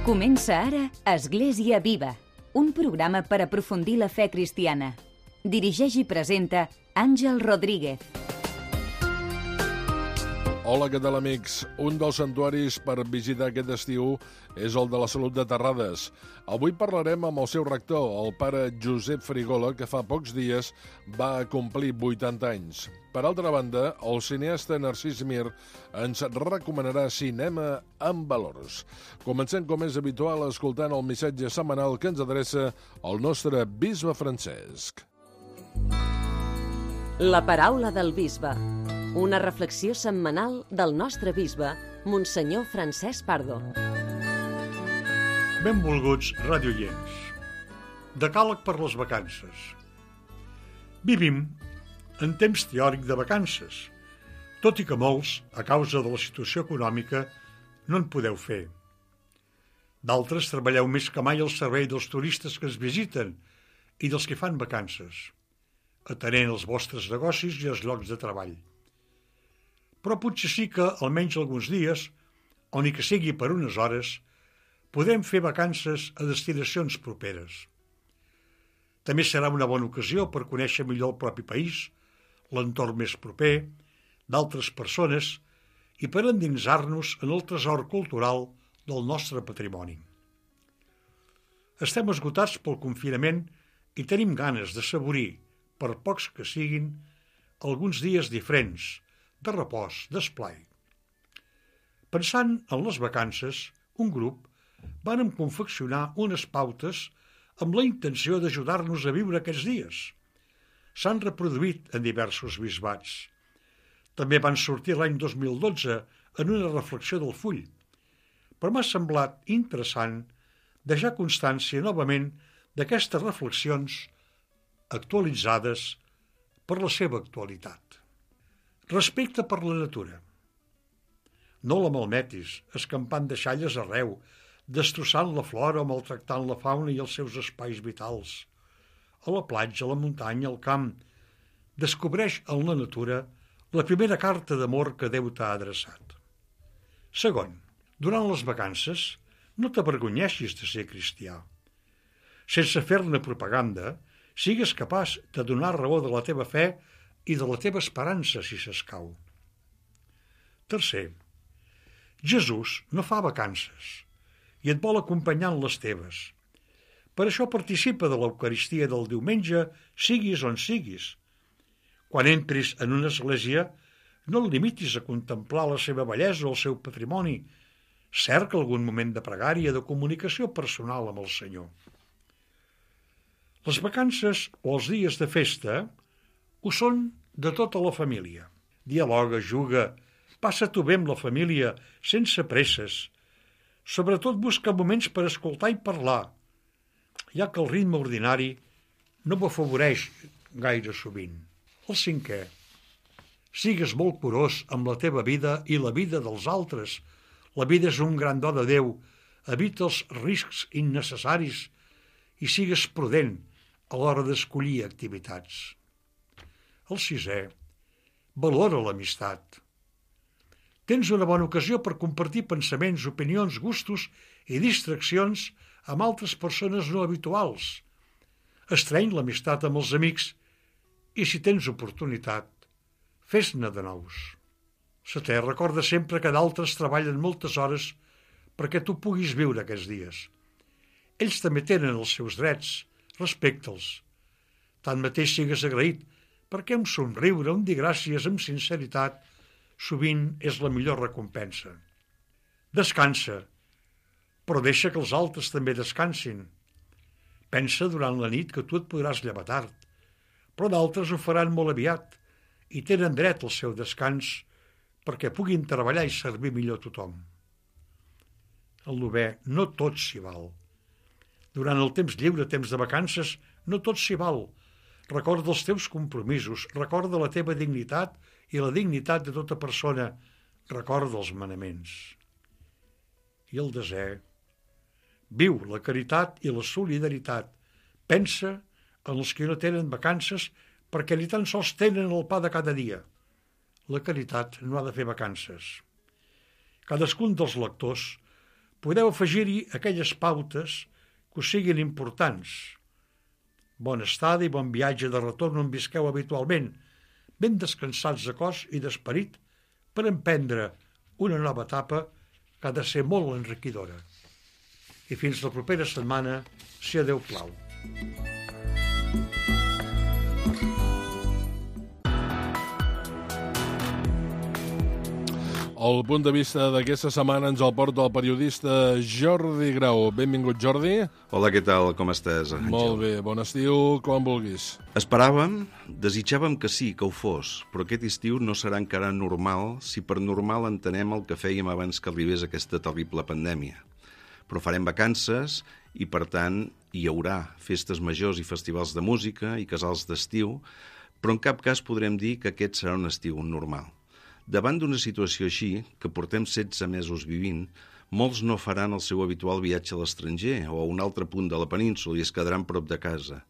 Comença ara Església Viva, un programa per aprofundir la fe cristiana. Dirigeix i presenta Àngel Rodríguez. Hola, què tal, amics? Un dels santuaris per visitar aquest estiu és el de la Salut de Terrades. Avui parlarem amb el seu rector, el pare Josep Frigola, que fa pocs dies va complir 80 anys. Per altra banda, el cineasta Narcís Mir ens recomanarà cinema amb valors. Comencem, com és habitual, escoltant el missatge setmanal que ens adreça el nostre bisbe Francesc. La paraula del bisbe. Una reflexió setmanal del nostre bisbe, Monsenyor Francesc Pardo. Benvolguts radioients. Decàleg per les vacances. Vivim en temps teòric de vacances, tot i que molts, a causa de la situació econòmica, no en podeu fer. D'altres treballeu més que mai al servei dels turistes que es visiten i dels que fan vacances, atenent els vostres negocis i els llocs de treball. Però potser sí que, almenys alguns dies, o ni que sigui per unes hores, podem fer vacances a destinacions properes. També serà una bona ocasió per conèixer millor el propi país, l'entorn més proper, d'altres persones i per endinsar-nos en el tresor cultural del nostre patrimoni. Estem esgotats pel confinament i tenim ganes de saborir, per pocs que siguin, alguns dies diferents, de repòs, d'esplai. Pensant en les vacances, un grup vàrem confeccionar unes pautes amb la intenció d'ajudar-nos a viure aquests dies. S'han reproduït en diversos bisbats. També van sortir l'any 2012 en una reflexió del Full, però m'ha semblat interessant deixar constància novament d'aquestes reflexions actualitzades per la seva actualitat. Respecte per la natura. No la malmetis, escampant deixalles arreu, destrossant la flora o maltractant la fauna i els seus espais vitals. A la platja, a la muntanya, al camp, descobreix en la natura la primera carta d'amor que Déu t'ha adreçat. Segon, durant les vacances, no t'avergonyeixis de ser cristià. Sense fer-ne propaganda, sigues capaç de donar raó de la teva fe i de la teva esperança, si s'escau. Tercer, Jesús no fa vacances i et vol acompanyar en les teves. Per això participa de l'Eucaristia del diumenge, siguis on siguis. Quan entris en una església, no et limitis a contemplar la seva bellesa o el seu patrimoni. Cerca algun moment de pregària, de comunicació personal amb el Senyor. Les vacances o els dies de festa ho són de tota la família. Dialoga, juga, passa-t'ho bé amb la família, sense presses. Sobretot busca moments per escoltar i parlar, ja que el ritme ordinari no ho afavoreix gaire sovint. El cinquè, sigues molt curós amb la teva vida i la vida dels altres. La vida és un gran do de Déu, evita els riscs innecessaris i sigues prudent a l'hora d'escollir activitats. El sisè, valora l'amistat. Tens una bona ocasió per compartir pensaments, opinions, gustos i distraccions amb altres persones no habituals. Estreny l'amistat amb els amics i, si tens oportunitat, fes-ne de nous. Setè, recorda sempre que d'altres treballen moltes hores perquè tu puguis viure aquests dies. Ells també tenen els seus drets, respecta'ls. Tanmateix sigues agraït perquè un somriure, un dir gràcies amb sinceritat, sovint és la millor recompensa. Descansa, però deixa que els altres també descansin. Pensa durant la nit que tu et podràs llevar tard, però d'altres ho faran molt aviat i tenen dret al seu descans perquè puguin treballar i servir millor a tothom. El novè, no tot s'hi val. Durant el temps lliure, temps de vacances, no tot s'hi val. Recorda els teus compromisos, recorda la teva dignitat i la dignitat de tota persona, recorda els manaments. I el desè, viu la caritat i la solidaritat. Pensa en els que no tenen vacances perquè ni tan sols tenen el pa de cada dia. La caritat no ha de fer vacances. Cadascun dels lectors Podeu afegir-hi aquelles pautes que us siguin importants. Bona estada i bon viatge de retorn on visqueu habitualment, ben descansats de cos i d'esperit per emprendre una nova etapa que ha de ser molt enriquidora. I fins la propera setmana, si a Déu plau. El punt de vista d'aquesta setmana ens el porta el periodista Jordi Grau. Benvingut, Jordi. Hola, què tal? Com estàs, Àngel? Molt bé, bon estiu, com vulguis. Esperàvem, desitjàvem que sí, que ho fos, però aquest estiu no serà encara normal si per normal entenem el que fèiem abans que arribés aquesta terrible pandèmia. Però farem vacances i, per tant, hi haurà festes majors i festivals de música i casals d'estiu, però en cap cas podrem dir que aquest serà un estiu normal. Davant d'una situació així, que portem 16 mesos vivint, molts no faran el seu habitual viatge a l'estranger o a un altre punt de la península i es quedaran prop de casa.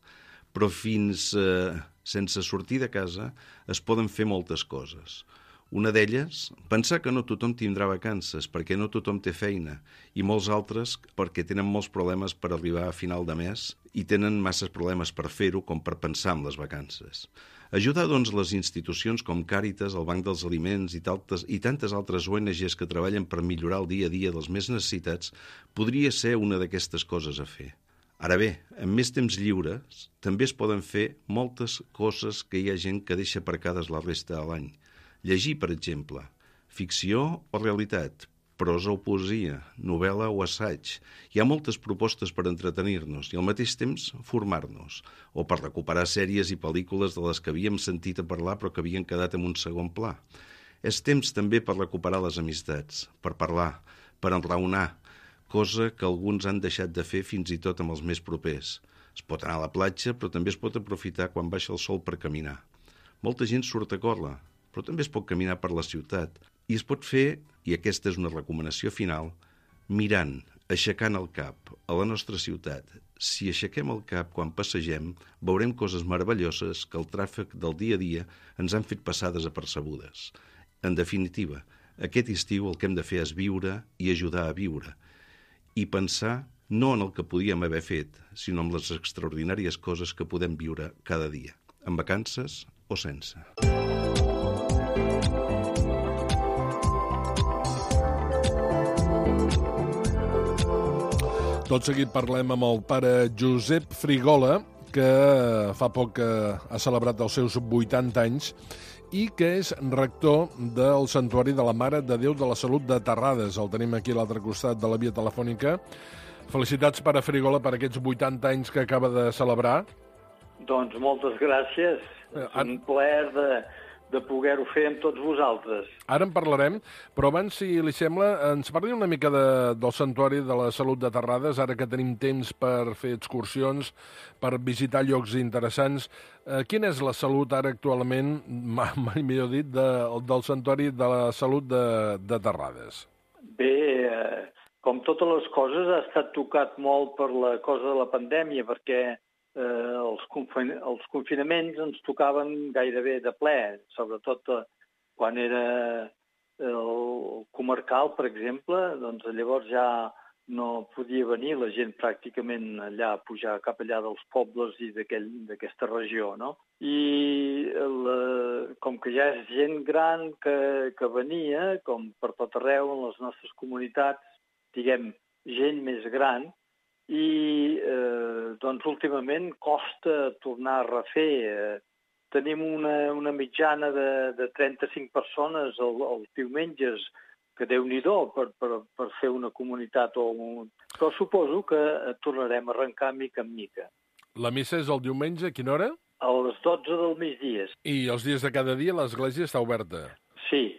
Però sense sortir de casa es poden fer moltes coses. Una d'elles, pensar que no tothom tindrà vacances perquè no tothom té feina i molts altres perquè tenen molts problemes per arribar a final de mes i tenen masses problemes per fer-ho com per pensar en les vacances. Ajudar, doncs, les institucions com Càritas, el Banc dels Aliments i tantes altres ONGs que treballen per millorar el dia a dia dels més necessitats podria ser una d'aquestes coses a fer. Ara bé, amb més temps lliures, també es poden fer moltes coses que hi ha gent que deixa aparcades la resta de l'any. Llegir, per exemple, ficció o realitat, prosa o poesia, novel·la o assaig. Hi ha moltes propostes per entretenir-nos i al mateix temps formar-nos, o per recuperar sèries i pel·lícules de les que havíem sentit a parlar però que havien quedat en un segon pla. És temps també per recuperar les amistats, per parlar, per enraonar, cosa que alguns han deixat de fer fins i tot amb els més propers. Es pot anar a la platja, però també es pot aprofitar quan baixa el sol per caminar. Molta gent surt a córrer, però també es pot caminar per la ciutat. I es pot fer, i aquesta és una recomanació final, mirant, aixecant el cap a la nostra ciutat. Si aixequem el cap quan passegem, veurem coses meravelloses que el tràfic del dia a dia ens han fet passar desapercebudes. En definitiva, aquest estiu el que hem de fer és viure i ajudar a viure. I pensar no en el que podíem haver fet, sinó en les extraordinàries coses que podem viure cada dia, en vacances o sense. Tot seguit parlem amb el pare Josep Frigola, que fa poc ha celebrat els seus 80 anys i que és rector del Santuari de la Mare de Déu de la Salut de Terrades. El tenim aquí a l'altre costat de la via telefònica. Felicitats, pare Frigola, per aquests 80 anys que acaba de celebrar. Doncs moltes gràcies. És un plaer de poder-ho fer amb tots vosaltres. Ara en parlarem, però abans, si li sembla, ens parli una mica del Santuari de la Salut de Terrades, ara que tenim temps per fer excursions, per visitar llocs interessants. Quina és la salut ara actualment, mai millor dit, del Santuari de la Salut de Terrades? Bé, com totes les coses, ha estat tocat molt per la cosa de la pandèmia, perquè els confinaments ens tocaven gairebé de ple, sobretot quan era el comarcal, per exemple, doncs llavors ja no podia venir la gent pràcticament allà, pujar cap allà dels pobles i d'aquesta regió, no? I com que ja és gent gran que venia, com per tot arreu en les nostres comunitats, diguem, gent més gran, i doncs últimament costa tornar a refer. Tenim una mitjana de 35 persones els diumenges, que Déu-n'hi-do per fer una comunitat. Però suposo que tornarem a arrencar mica en mica. La missa és el diumenge, a quina hora? A les 12 del migdia. I els dies de cada dia l'església està oberta? Sí,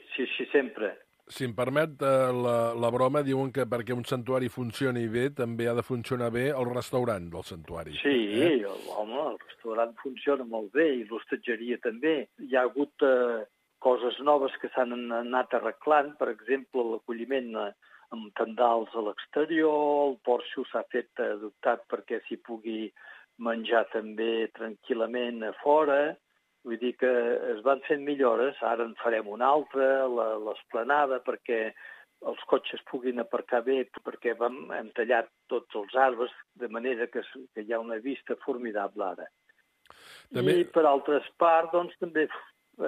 sempre. Si em permet la broma, diuen que perquè un santuari funcioni bé també ha de funcionar bé el restaurant del santuari. Sí, home, el restaurant funciona molt bé i l'hostatgeria també. Hi ha hagut coses noves que s'han anat arreglant, per exemple, l'acolliment amb tendals a l'exterior, el porxo s'ha fet adoptat perquè s'hi pugui menjar també tranquil·lament a fora. Vull dir que es van fent millores, ara en farem una altra, l'esplanada, perquè els cotxes puguin aparcar bé, perquè hem tallat tots els arbres, de manera que hi ha una vista formidable ara. També... I per altres parts, doncs, també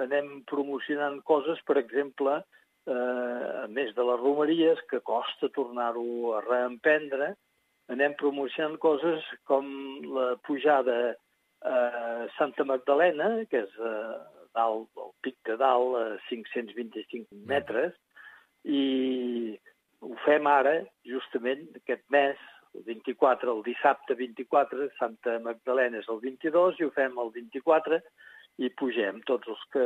anem promocionant coses, per exemple, a més de les romeries, que costa tornar-ho a reemprendre, anem promocionant coses com la pujada a Santa Magdalena, que és dalt, el pic de dalt, a 525 metres, i ho fem ara, justament, aquest mes, el 24, el dissabte 24, Santa Magdalena és el 22, i ho fem el 24, i pugem tots els que...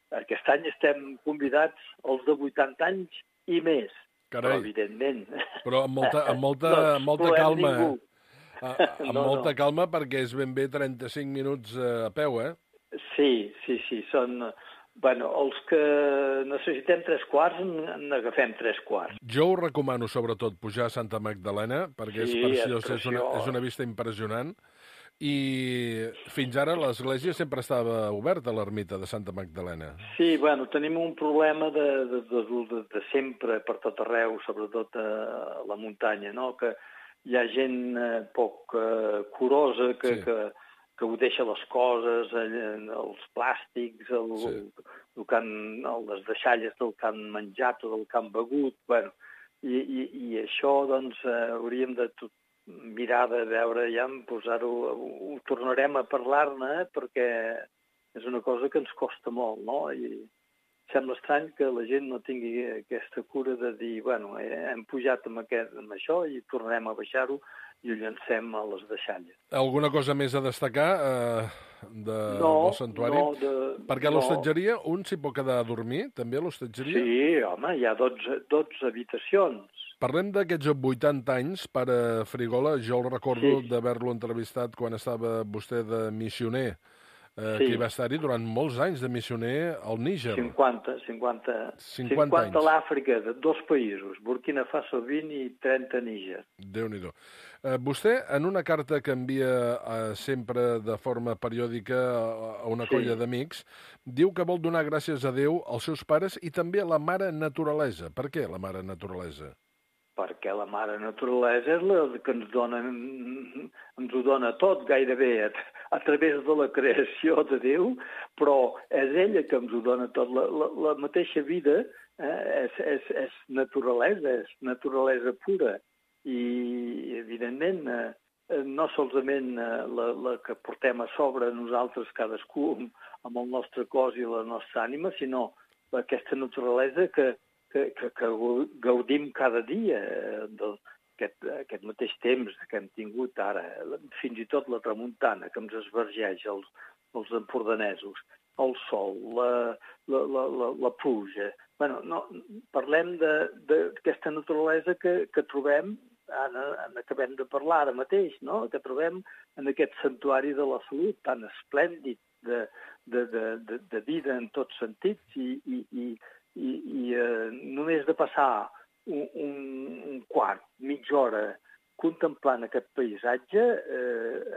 Aquest any estem convidats els de 80 anys i més. Carai. Però, evidentment... Però amb molta calma. Amb molta calma, perquè és ben bé 35 minuts a peu, eh? Sí. Són... Bueno, els que necessitem 3/4, n'agafem 3/4. Jo ho recomano, sobretot, pujar a Santa Magdalena, perquè és preciós, és una vista impressionant. I fins ara l'església sempre estava oberta, l'ermita de Santa Magdalena. Sí, bueno, tenim un problema de sempre, per tot arreu, sobretot a la muntanya, no? Que hi ha gent poc curosa que ho deixa les coses, els plàstics, les deixalles del que han menjat o del que han begut. Bueno, i això, doncs, hauríem de mirar de veure ja, posar-ho... Ho tornarem a parlar-ne, perquè és una cosa que ens costa molt, no? I sembla estrany que la gent no tingui aquesta cura de dir, bueno, hem pujat amb això i tornarem a baixar-ho i ho llancem a les deixalles. Alguna cosa més a destacar del santuari? Perquè a l'hostatgeria un s'hi pot quedar a dormir, també a l'hostatgeria? Sí, home, hi ha 12 habitacions. Parlem d'aquests 80 anys, pare Frigola. Jo el recordo d'haver-lo entrevistat quan estava vostè de missioner, que hi va estar-hi durant molts anys de missioner al Níger. 50 anys. A l'Àfrica, de 2 països, Burkina Faso 20 i 30 a Níger. Déu-n'hi-do. Vostè, en una carta que envia sempre de forma periòdica a una colla d'amics, diu que vol donar gràcies a Déu, als seus pares i també a la mare naturalesa. Per què la mare naturalesa? Perquè la mare naturalesa és la que ens ho dona tot gairebé a través de la creació de Déu, però és ella que ens ho dona tot. La mateixa vida és naturalesa pura. I, evidentment, no solament la que portem a sobre nosaltres cadascú amb el nostre cos i la nostra ànima, sinó aquesta naturalesa que gaudim cada dia d'aquest mateix temps que hem tingut ara, fins i tot la tramuntana que ens esvergeix els empordanesos, el sol, la pluja. Bueno, no, parlem d'aquesta naturalesa que trobem, n'acabem de parlar ara mateix, no? Que trobem en aquest santuari de la salut tan esplèndid de vida en tots sentits i només de passar un quart, mitja hora contemplant aquest paisatge,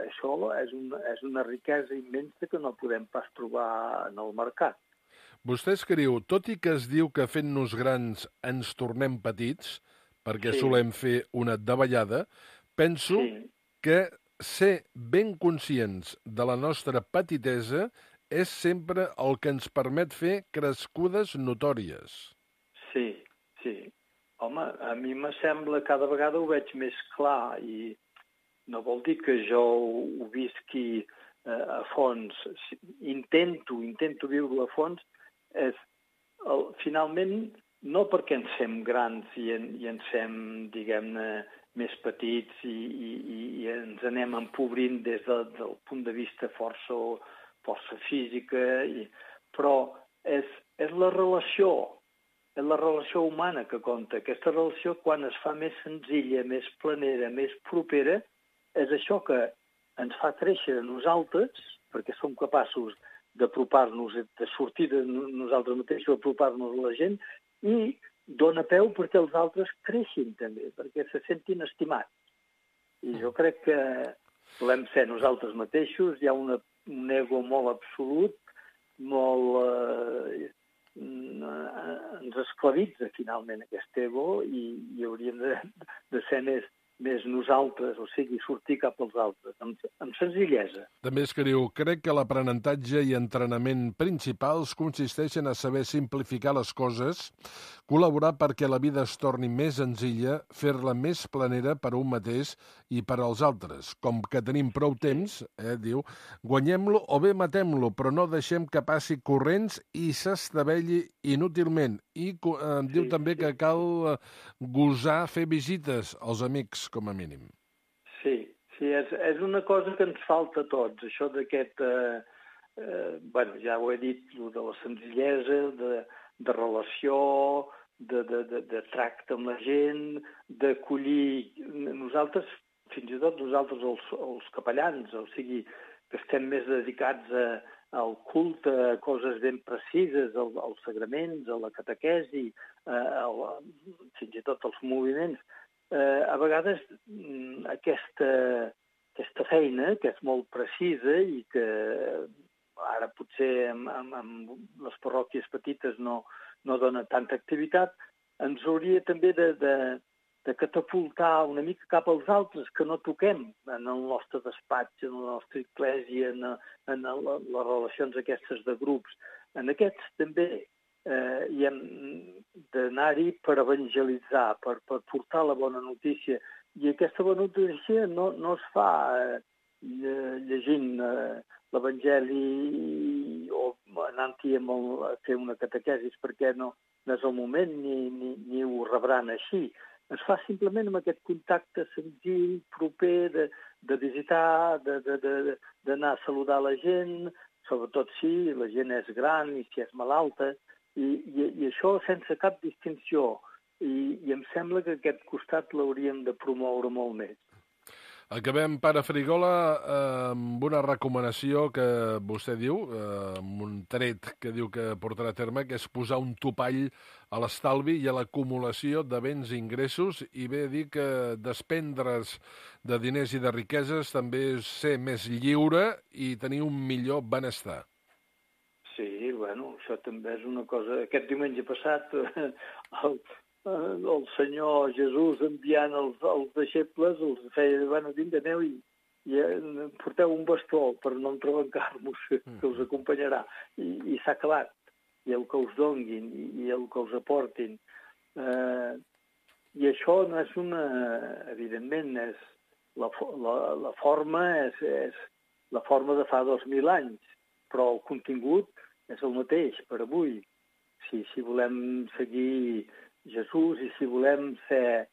això és una riquesa immensa que no podem pas trobar en el mercat. Vostè escriu, tot i que es diu que fent-nos grans ens tornem petits, perquè solem fer una davallada, penso que ser ben conscients de la nostra petitesa és sempre el que ens permet fer crescudes notòries. Sí. Home, a mi me sembla, cada vegada ho veig més clar i no vol dir que jo ho visqui a fons. Intento viure-ho a fons. Finalment, no perquè ens fem grans i ens fem, diguem-ne, més petits i ens anem empobrint des del punt de vista força física, però és la relació humana que compta. Aquesta relació, quan es fa més senzilla, més planera, més propera, és això que ens fa créixer a nosaltres, perquè som capaços d'apropar-nos, de sortir de nosaltres mateixos, apropar-nos a la gent, i dona peu perquè els altres creixin també, perquè se sentin estimats. I jo crec que volem ser nosaltres mateixos, hi ha un ego molt absolut, molt ens esclavitza finalment aquest ego i hauríem de ser més nosaltres, o sigui, sortir cap als altres, amb senzillesa. També escriu, crec que l'aprenentatge i entrenament principals consisteixen a saber simplificar les coses, col·laborar perquè la vida es torni més senzilla, fer-la més planera per a un mateix i per als altres. Com que tenim prou temps, diu, guanyem-lo o bé matem-lo, però no deixem que passi corrents i s'estavelli inútilment. I diu també que cal gosar fer visites als amics, com a mínim. Sí, és una cosa que ens falta a tots, això d'aquest, ja ho he dit, de la senzillesa, de relació, de tracte amb la gent, d'acollir nosaltres, fins i tot nosaltres els capellans, o sigui, que estem més dedicats al culte, a coses ben precises, als sagraments, a la catequesi, fins i tot als moviments. A vegades aquesta feina, que és molt precisa i que ara potser amb les parròquies petites no dona tanta activitat, ens hauria també de catapultar una mica cap als altres que no toquem en el nostre despatx, en la nostra església, en les relacions aquestes de grups. En aquests també i hem d'anar-hi per evangelitzar, per portar la bona notícia. I aquesta bona notícia no es fa llegint l'Evangeli o anant-hi a fer una catequesis, perquè no és el moment ni ho rebran així. Es fa simplement amb aquest contacte senzill, proper, de visitar, d'anar a saludar la gent, sobretot si la gent és gran i si és malalta, i això sense cap distinció. I em sembla que aquest costat l'hauríem de promoure molt més. Acabem, pare Frigola, amb una recomanació que vostè diu, amb un tret que diu que portarà a terme, que és posar un topall a l'estalvi i a l'acumulació de béns i ingressos, i bé dir que desprendre's de diners i de riqueses també és ser més lliure i tenir un millor benestar. Sí, bueno, això també és una cosa... Aquest diumenge passat el Senyor Jesús enviant els deixebles els feia, vinga, aneu i porteu un bastó per no entrebancar-vos, que us acompanyarà. I s'ha acabat. I el que us donguin, i el que us aportin. I això no és evidentment, és la forma és la forma de fa 2.000 anys, però el contingut és el mateix per avui. Si volem seguir Jesús i si volem ser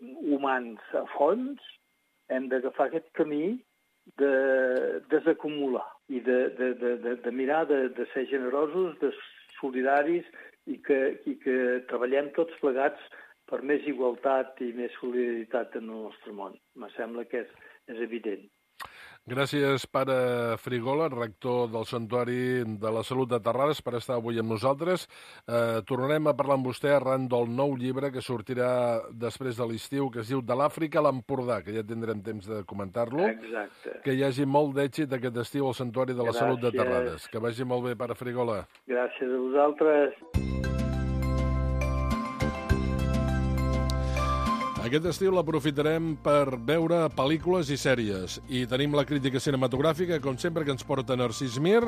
humans a fons, hem d'agafar aquest camí de desacumular i de mirar de ser generosos, de solidaris i que treballem tots plegats per més igualtat i més solidaritat en el nostre món. Me sembla que és evident. Gràcies, pare Frigola, rector del Santuari de la Salut de Terrades, per estar avui amb nosaltres. Tornarem a parlar amb vostè arran del nou llibre que sortirà després de l'estiu, que es diu De l'Àfrica a l'Empordà, que ja tindrem temps de comentar-lo. Exacte. Que hi hagi molt d'èxit aquest estiu al Santuari de la Salut de Terrades. Que vagi molt bé, pare Frigola. Gràcies a vosaltres. Aquest estiu l'aprofitarem per veure pel·lícules i sèries. I tenim la crítica cinematogràfica, com sempre, que ens porta Narcís Mir,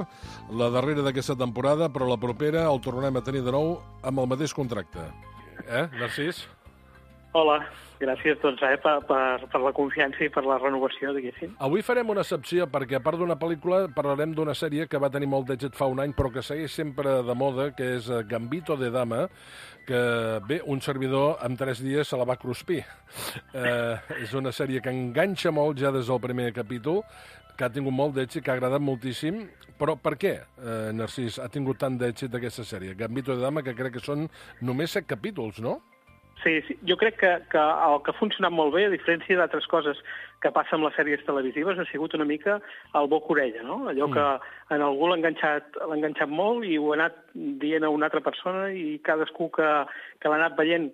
la darrera d'aquesta temporada, però la propera el tornarem a tenir de nou amb el mateix contracte. Narcís? Hola, gràcies per la confiança i per la renovació, diguéssim. Avui farem una excepció perquè, a part d'una pel·lícula, parlarem d'una sèrie que va tenir molt d'èxit fa un any, però que segueix sempre de moda, que és Gambito de Dama, que, bé, un servidor en 3 dies se la va cruspir. És una sèrie que enganxa molt ja des del primer capítol, que ha tingut molt d'èxit, que ha agradat moltíssim, però per què, Narcís, ha tingut tant d'èxit aquesta sèrie? Gambito de Dama, que crec que són només 7 capítols, no? Sí, jo crec que el que ha funcionat molt bé, a diferència d'altres coses que passa amb les sèries televisives, ha sigut una mica el boca-orella, no? Allò que en algú l'ha enganxat molt i ho ha anat dient a una altra persona i cadascú que l'ha anat veient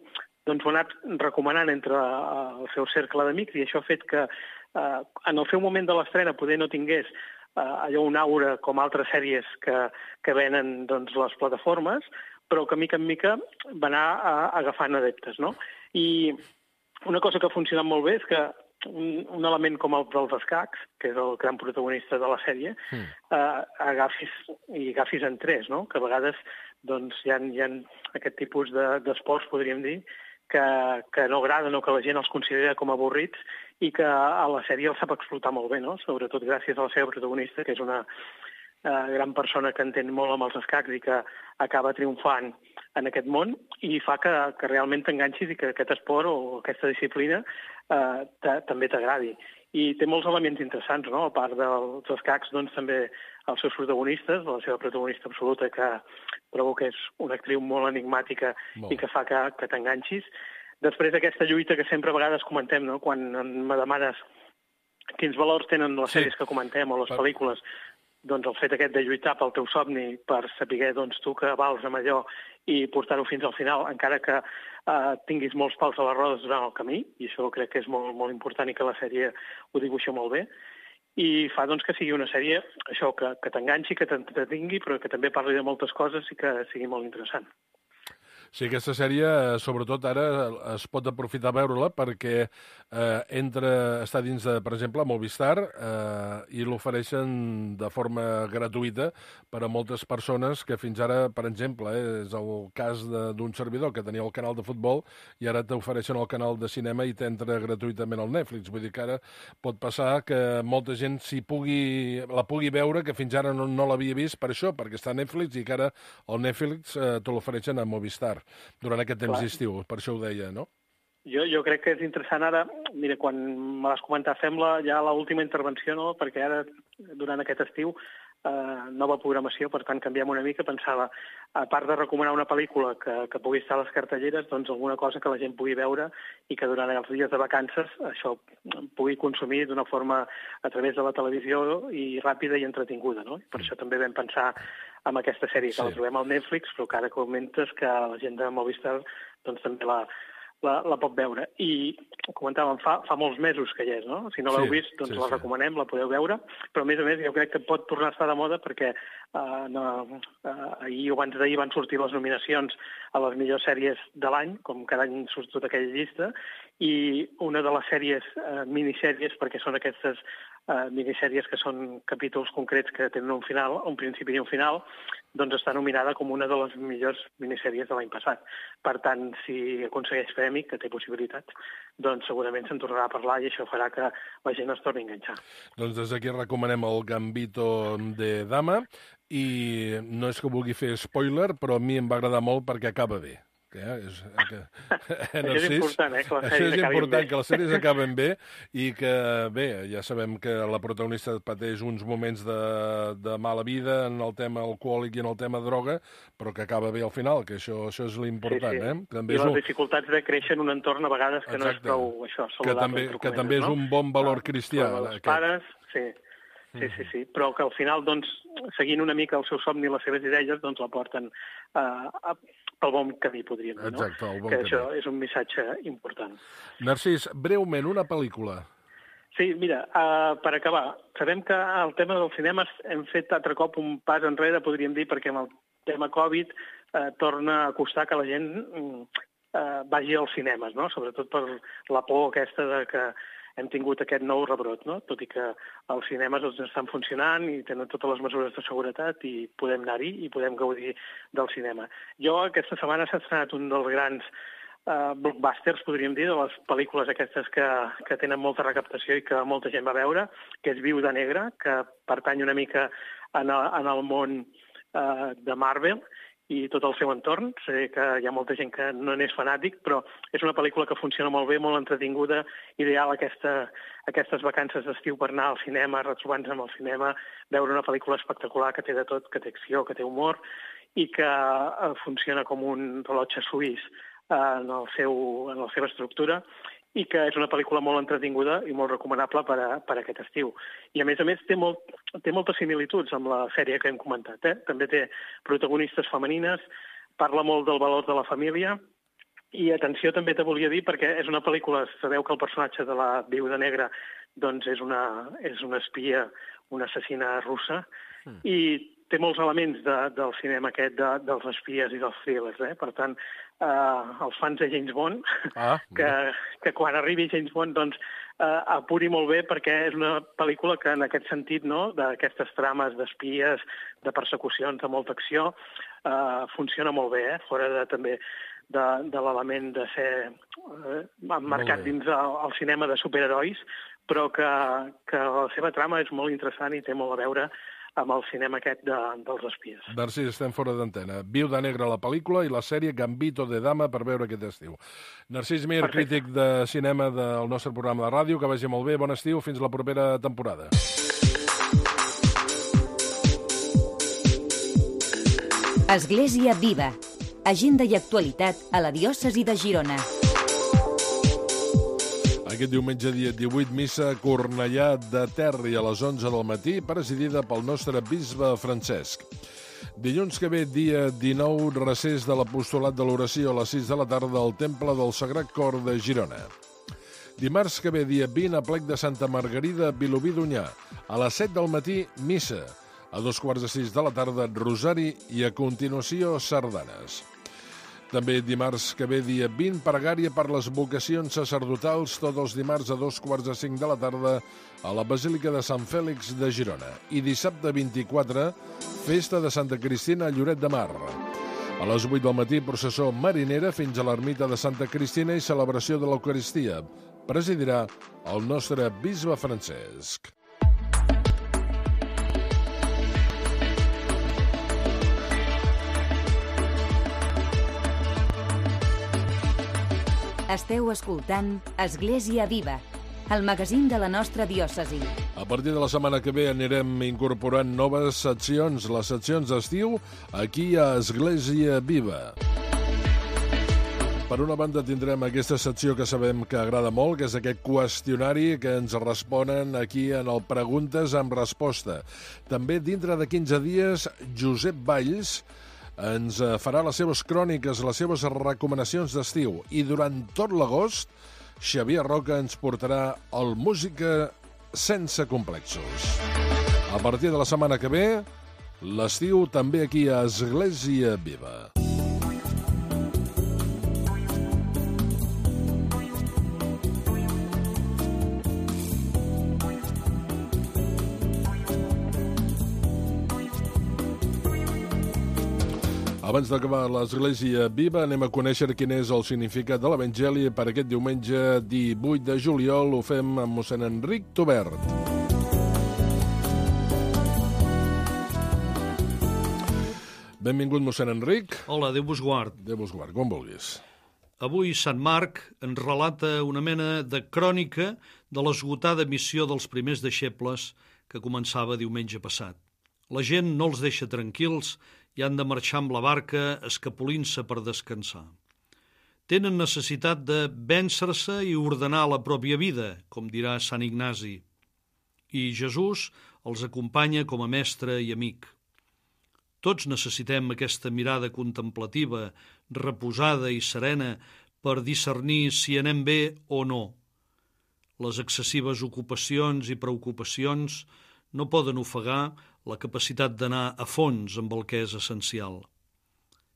doncs ho ha anat recomanant entre el seu cercle d'amics i això ha fet que en el seu moment de l'estrena poder no tingués allò un aura com altres sèries que venen doncs, les plataformes, però que mica en mica va anar agafant adeptes, no? I una cosa que ha funcionat molt bé és que un element com el dels escacs, que és el gran protagonista de la sèrie, agafis en tres, no? Que a vegades doncs, hi ha aquest tipus d'esports, podríem dir, que no agraden o que la gent els considera com avorrits i que a la sèrie els sap explotar molt bé, no? Sobretot gràcies a la seva protagonista, que és una gran persona que entén molt amb els escacs i que acaba triomfant en aquest món i fa que realment t'enganxis i que aquest esport o aquesta disciplina també t'agradi. I té molts elements interessants, no? A part dels escacs, doncs també els seus protagonistes, la seva protagonista absoluta, que trobo que és una actriu molt enigmàtica i que fa que t'enganxis. Després aquesta lluita que sempre a vegades comentem, no? Quan me demanes quins valors tenen les sèries que comentem o les pel·lícules, doncs el fet aquest de lluitar pel teu somni, per saber doncs, tu que vals amb allò i portar-ho fins al final, encara que tinguis molts pals a les rodes durant el camí, i això crec que és molt, molt important i que la sèrie ho dibuixa molt bé, i fa doncs, que sigui una sèrie això que t'enganxi, que t'entretingui, però que també parli de moltes coses i que sigui molt interessant. Sí, aquesta sèrie, sobretot ara, es pot aprofitar a veure-la perquè està dins, per exemple, Movistar i l'ofereixen de forma gratuïta per a moltes persones que fins ara, per exemple, és el cas d'un servidor que tenia el canal de futbol i ara t'ofereixen el canal de cinema i t'entra gratuïtament al Netflix. Vull dir que ara pot passar que molta gent la pugui veure, que fins ara no l'havia vist per això, perquè està a Netflix i que ara el Netflix te l'ofereixen a Movistar durant aquest temps d'estiu, per això ho deia, no? Jo crec que és interessant ara, mira, quan me l'has comentat, fem ja l'última intervenció, no? Perquè ara, durant aquest estiu, nova programació, per tant, canviem una mica, pensava, a part de recomanar una pel·lícula que pugui estar a les cartelleres, doncs alguna cosa que la gent pugui veure i que durant els dies de vacances això pugui consumir d'una forma a través de la televisió i ràpida i entretinguda, no? Per això també vam pensar en aquesta sèrie, que la trobem al Netflix, però que ara comentes que la gent de Movistar doncs, també la pot veure. I comentàvem, fa molts mesos que hi és, no? Si no l'heu vist, doncs la recomanem, la podeu veure, però a més jo crec que pot tornar a estar de moda perquè ahir o abans d'ahir van sortir les nominacions a les millors sèries de l'any, com cada any surt tota aquella llista, i una de les sèries, minissèries, perquè són aquestes minissèries que són capítols concrets que tenen un final, un principi i un final, doncs està nominada com una de les millors minissèries de l'any passat. Per tant, si aconsegueix premi, que té possibilitats, doncs segurament se'n tornarà a parlar i això farà que la gent es torni a enganxar. Doncs des d'aquí recomanem el Gambito de Dama i no és que vulgui fer spoiler, però a mi em va agradar molt perquè acaba bé. Això és important, que les sèries acabin bé. Que les sèries acaben bé i que, bé, ja sabem que la protagonista pateix uns moments de mala vida en el tema alcohòlic i en el tema droga, però que acaba bé al final, que això és l'important. I les dificultats de créixer en un entorn a vegades que no és prou això, saludable. Que també és un bon valor cristià. Els pares, sí, però que al final, doncs, seguint una mica el seu somni i les seves idees, doncs la porten pel bon camí, podríem dir, no? Exacte, el bon camí. Que això és un missatge important. Narcís, breument, una pel·lícula. Sí, mira, per acabar, sabem que el tema dels cinemes hem fet altre cop un pas enrere, podríem dir, perquè amb el tema Covid torna a costar que la gent vagi als cinemes, no? Sobretot per la por aquesta de que hem tingut aquest nou rebrot, no? Tot i que els cinemes estan funcionant i tenen totes les mesures de seguretat i podem anar-hi i podem gaudir del cinema. Jo aquesta setmana s'ha estrenat un dels grans blockbusters, podríem dir, de les pel·lícules aquestes que tenen molta recaptació i que molta gent va veure, que és Viuda Negra, que pertany una mica en el món de Marvel i tot el seu entorn. Sé que hi ha molta gent que no n'és fanàtic, però és una pel·lícula que funciona molt bé, molt entretinguda, ideal aquestes vacances d'estiu per anar al cinema, retrobar-nos amb el cinema, veure una pel·lícula espectacular que té de tot, que té acció, que té humor i que funciona com un rellotge suís en la seva estructura i que és una pel·lícula molt entretinguda i molt recomanable per aquest estiu. I, a més, té moltes similituds amb la sèrie que hem comentat. També té protagonistes femenines, parla molt del valor de la família i, atenció, també te volia dir, perquè és una pel·lícula, sabeu que el personatge de la Viuda Negra doncs és una espia, una assassina russa, i té molts elements del cinema aquest, dels espies i dels thrillers. Per tant, els fans de James Bond, que quan arribi James Bond, doncs, apuri molt bé, perquè és una pel·lícula que, en aquest sentit, no?, d'aquestes trames d'espies, de persecucions, de molta acció, funciona molt bé, fora també de l'element de ser emmarcat dins el cinema de superherois, però que la seva trama és molt interessant i té molt a veure amb el cinema aquest dels espies. Narcís, estem fora d'antena. Viuda Negra, la pel·lícula, i la sèrie Gambito de Dama per veure aquest estiu. Narcís Mir, crític de cinema del nostre programa de ràdio, que vagi molt bé, bon estiu, fins la propera temporada. Església Viva. Agenda i actualitat a la diòcesi de Girona. Aquest diumenge, dia 18, missa a Cornellà de Terri a les 11 del matí, presidida pel nostre bisbe Francesc. Dilluns que ve, dia 19, recés de l'apostolat de l'oració a les 6 de la tarda al Temple del Sagrat Cor de Girona. Dimarts que ve, dia 20, a plec de Santa Margarida, Vilobí d'Onyar. A les 7 del matí, missa. A 5:45 de la tarda, rosari i, a continuació, sardanes. També dimarts que ve, dia 20, pregària per les vocacions sacerdotals, tots els dimarts a 4:45 de la tarda a la Basílica de Sant Fèlix de Girona. I dissabte 24, festa de Santa Cristina a Lloret de Mar. A les 8 del matí, processó marinera fins a l'ermita de Santa Cristina i celebració de l'Eucaristia. Presidirà el nostre bisbe Francesc. Esteu escoltant Església Viva, el magazín de la nostra diòcesi. A partir de la setmana que ve anirem incorporant noves seccions, les seccions d'estiu, aquí a Església Viva. Per una banda tindrem aquesta secció que sabem que agrada molt, que és aquest qüestionari que ens responen aquí en el Preguntes amb Resposta. També dintre de 15 dies, Josep Valls ens farà les seves cròniques, les seves recomanacions d'estiu. I durant tot l'agost, Xavier Roca ens portarà el Música sense complexos. A partir de la setmana que ve, l'estiu també aquí a Església Viva. Abans d'acabar l'Església Viva, anem a conèixer quin és el significat de l'Evangeli per aquest diumenge 18 de juliol. Ho fem amb mossèn Enric Tobert. Benvingut, mossèn Enric. Hola, Déu vos guard. Déu vos guard, com vulguis. Avui Sant Marc ens relata una mena de crònica de l'esgotada missió dels primers deixebles que començava diumenge passat. La gent no els deixa tranquils i han de marxar amb la barca escapolint-se per descansar. Tenen necessitat de vèncer-se i ordenar la pròpia vida, com dirà Sant Ignasi. I Jesús els acompanya com a mestre i amic. Tots necessitem aquesta mirada contemplativa, reposada i serena per discernir si anem bé o no. Les excessives ocupacions i preocupacions no poden ofegar la capacitat d'anar a fons amb el que és essencial.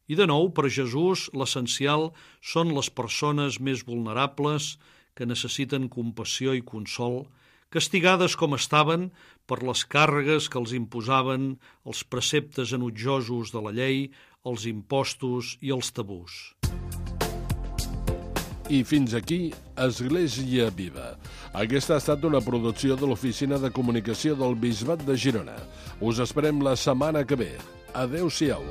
I de nou, per Jesús, l'essencial són les persones més vulnerables que necessiten compassió i consol, castigades com estaven per les càrregues que els imposaven els preceptes enutjosos de la llei, els impostos i els tabús. I fins aquí, Església Viva. Aquesta ha estat una producció de l'Oficina de Comunicació del Bisbat de Girona. Us esperem la setmana que ve. Adéu-siau.